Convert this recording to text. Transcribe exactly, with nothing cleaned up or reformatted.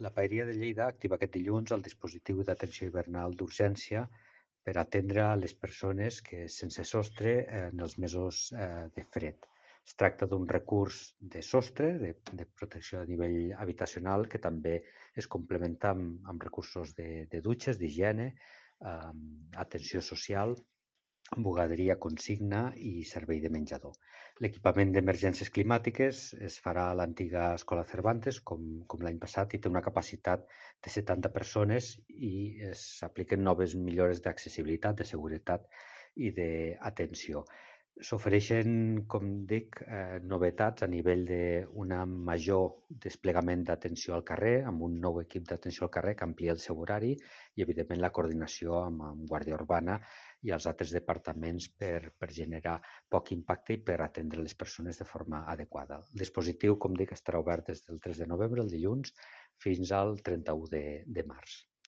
La Paeria de Lleida activa aquest dilluns el dispositiu d'atenció hivernal d'urgència per atendre les persones que sense sostre eh, en els mesos eh, de fred. Es tracta d'un recurs de sostre, de, de protecció a nivell habitacional, que també es complementa amb, amb recursos de, de dutxes, d'higiene, eh, atenció social, bugaderia consigna i servei de menjador. L'equipament d'emergències climàtiques es farà a l'antiga Escola Cervantes, com, com l'any passat, i té una capacitat de setanta persones i s'apliquen noves millores d'accessibilitat, de seguretat i d'atenció. S'ofereixen, com dic, eh, novetats a nivell d'un major desplegament d'atenció al carrer, amb un nou equip d'atenció al carrer que amplia el seu horari i, evidentment, la coordinació amb, amb Guàrdia Urbana i els altres departaments per, per generar poc impacte i per atendre les persones de forma adequada. El dispositiu, com dic, estarà obert des del tres de novembre, el dilluns, fins al trenta-u de, de març.